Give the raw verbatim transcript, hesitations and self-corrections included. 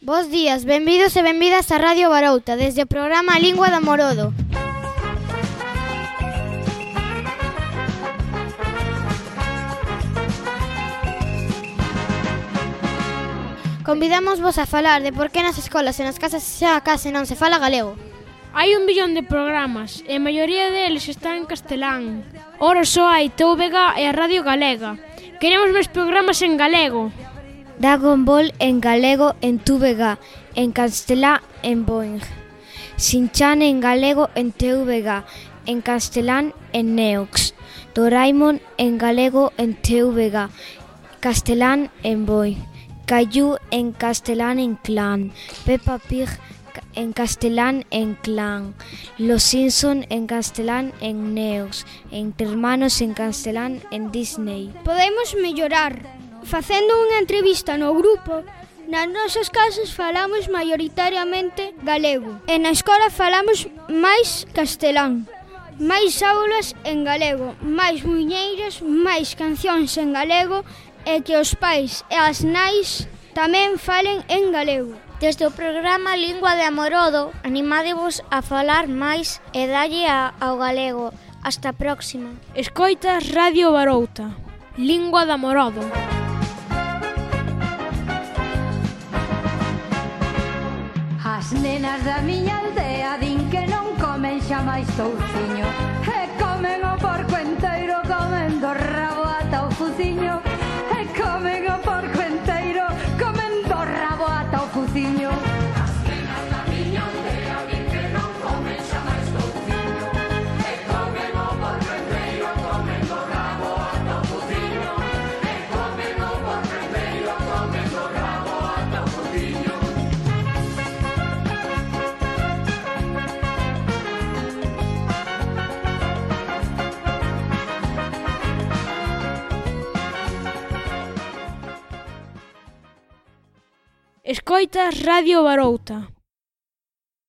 Bos días, benvidos e benvidas a Radio Barouta, desde o programa Lingua da Morodo. Convidamos vos a falar de por que nas escolas e nas casas xa case non se fala galego. Hai un billón de programas e a maioría deles están en castelán. Ora só hai T V G e a Radio Galega. Queremos máis programas en galego. Dragon Ball en galego en T V G, en castelán en Boing. Shin-chan en galego en T V G, en castelán en Neox. Doraemon en galego en T V G, castelán en Boing. Caillou en castelán en Clan. Peppa Pig en castelán en Clan. Los Simpson en castelán en Neox. Entre Hermanos en castelán en Disney. Podemos mellorar. Facendo unha entrevista no grupo, nas nosas casas falamos maioritariamente galego. E na escola falamos máis castelán. Máis aulas en galego, máis muiñeiras, máis cancións en galego e que os pais e as nais tamén falen en galego. Desde o programa Lingua de Amorodo, animádevos a falar máis e dalle ao galego. Hasta a próxima. Escoitas Radio Barouta, Lingua de Amorodo. As nenas da miña aldea din que non comen xa máis touciño, e comen o porco enteiro, comen do rabo ata o fuciño, e comen o porco enteiro, comen do rabo ata o fuciño. As nenas da miña aldea din que non comen xa máis touciño, e comen o porco enteiro, comen do rabo ata o fuciño, e comen o porco enteiro, comen do rabo ata o fuciño. Escoitas Radio Barouta.